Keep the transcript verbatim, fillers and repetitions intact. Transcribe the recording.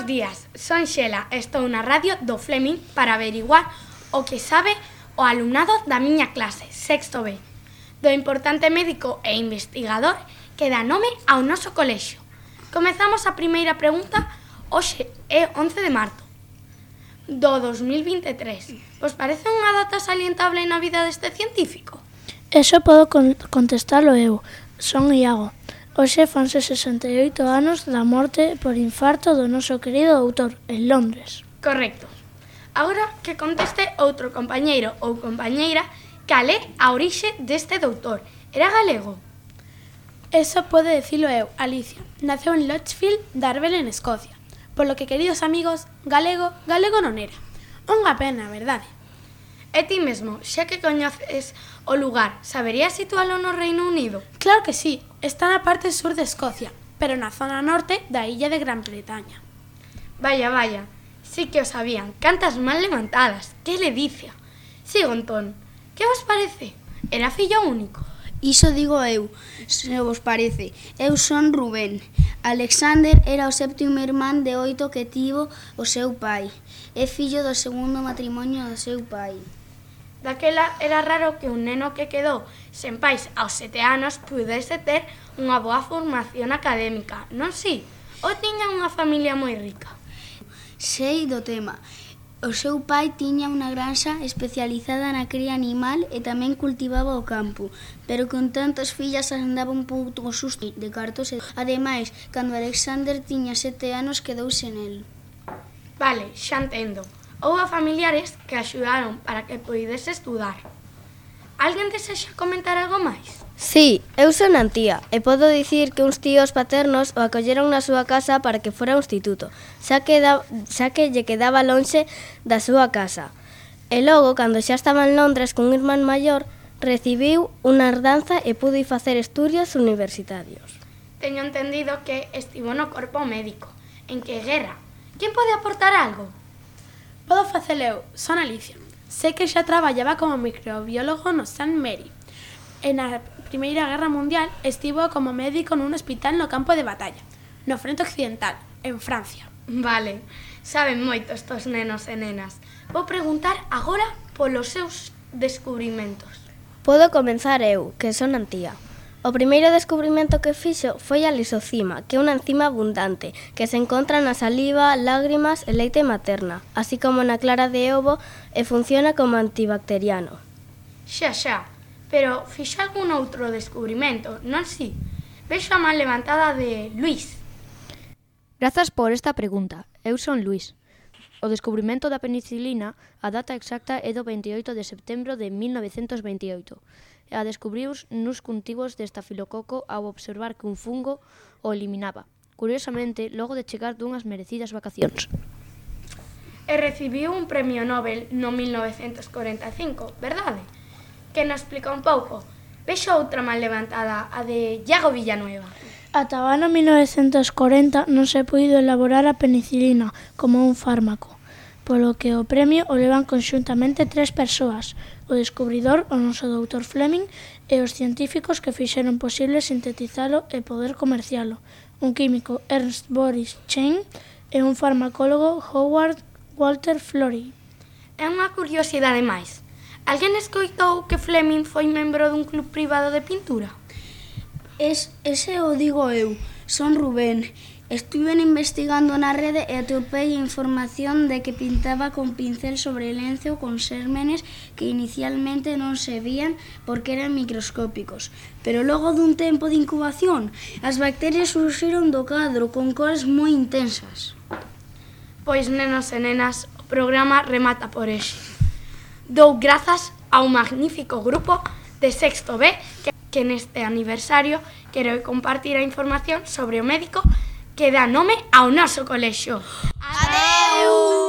Bos días, son Xela e estou na radio do Fleming para averiguar o que sabe o alumnado da miña clase, sexto B, do importante médico e investigador que dá nome ao noso colexio. Comezamos a primeira pregunta, hoxe é once de marzo do dos mil vinte e tres. Vos parece unha data salientable na vida deste científico? Eso podo con contestalo eu. Son Iago. Hoxe fanse sesenta e oito anos da morte por infarto do noso querido doutor en Londres. Correcto. Agora que conteste outro compañeiro ou compañeira cal é a orixe deste doutor. Era galego? Eso pode dicilo eu, Alicia. Naceu en Lichfield, Darvel, en Escocia. Polo que, queridos amigos, galego, galego non era. Unha pena, verdade? E ti mesmo, xa que coñeces o lugar, saberías situalo no Reino Unido? Claro que sí, está na parte sur de Escocia, pero na zona norte da illa de Gran Bretaña. Vaya, vaya, sí que o sabían. Cantas mal levantadas, que ledicia. Sigo, Antón, que vos parece? Era fillo único? Iso digo eu, se vos parece. Eu son Rubén. Alexander era o séptimo irmán de oito que tivo o seu pai. É fillo do segundo matrimonio do seu pai. Daquela era raro que un neno que quedou sen pais aos sete anos pudese ter unha boa formación académica, non si? Ou tiña unha familia moi rica? Sei do tema. O seu pai tiña unha granxa especializada na cría animal e tamén cultivaba o campo, pero con tantas fillas andaba un pouco susto de cartos e, ademais, cando Alexander tiña sete anos quedouse nel. Vale, xa entendo. Houbo familiares que axudaron para que poidese estudar. Alguén desexa comentar algo máis? Sí, eu son Antía e podo dicir que uns tíos paternos o acolleron na súa casa para que fora ao instituto, xa que, da, xa que lle quedaba lonxe da súa casa. E logo, cando xa estaba en Londres cun irmán maior, recibiu unha herdanza e pudo ir facer estudios universitarios. Teño entendido que estivo no corpo médico. En que guerra? Quen pode aportar algo? Podo facelo eu, son Alicia. Sei que xa traballaba como microbiólogo no Saint Mary. E na Primeira Guerra Mundial estivo como médico nun hospital no campo de batalla, no frente occidental, en Francia. Vale, saben moito estos nenos e nenas. Vou preguntar agora polos seus descubrimentos. Podo comenzar eu, que son Antía. O primeiro descubrimento que fixo foi a lisocima, que é unha enzima abundante, que se encontra na saliva, lágrimas e leite materna, así como na clara de ovo e funciona como antibacteriano. Xa, xa, pero fixo algún outro descubrimento, non si? Vexo a man levantada de Luís. Grazas por esta pregunta. Eu son Luís. O descubrimento da penicilina, a data exacta é do veintioito de setembro de mil novecentos veintioito. E a descubrius nuns cultivos de estafilococo ao observar que un fungo o eliminaba. Curiosamente, logo de chegar dunhas merecidas vacacións. E recibiu un premio Nobel no mil novecentos corenta e cinco, verdade? Que nos explica un pouco. Vexo outra man levantada, a de Iago Villanueva. Ata o ano mil novecentos corenta non se puido elaborar a penicilina como un fármaco, polo que o premio o levan conxuntamente tres persoas, o descubridor, o noso doutor Fleming, e os científicos que fixeron posible sintetizalo e poder comercialo, un químico Ernst Boris Chain e un farmacólogo Howard Walter Florey. É unha curiosidade máis. Alguén escoitou que Fleming foi membro dun club privado de pintura? Es, ese o digo eu, son Rubén. Estuven investigando na rede e atopei a información de que pintaba con pincel sobre lenzo con xérmenes que inicialmente non se vían porque eran microscópicos. Pero logo dun tempo de incubación, as bacterias surxiron do cadro con cores moi intensas. Pois, nenos e nenas, o programa remata por hoxe. Dou grazas ao magnífico grupo de sexto B que, que neste aniversario quero compartir a información sobre o médico que dá nome ao noso colexio. Adeu!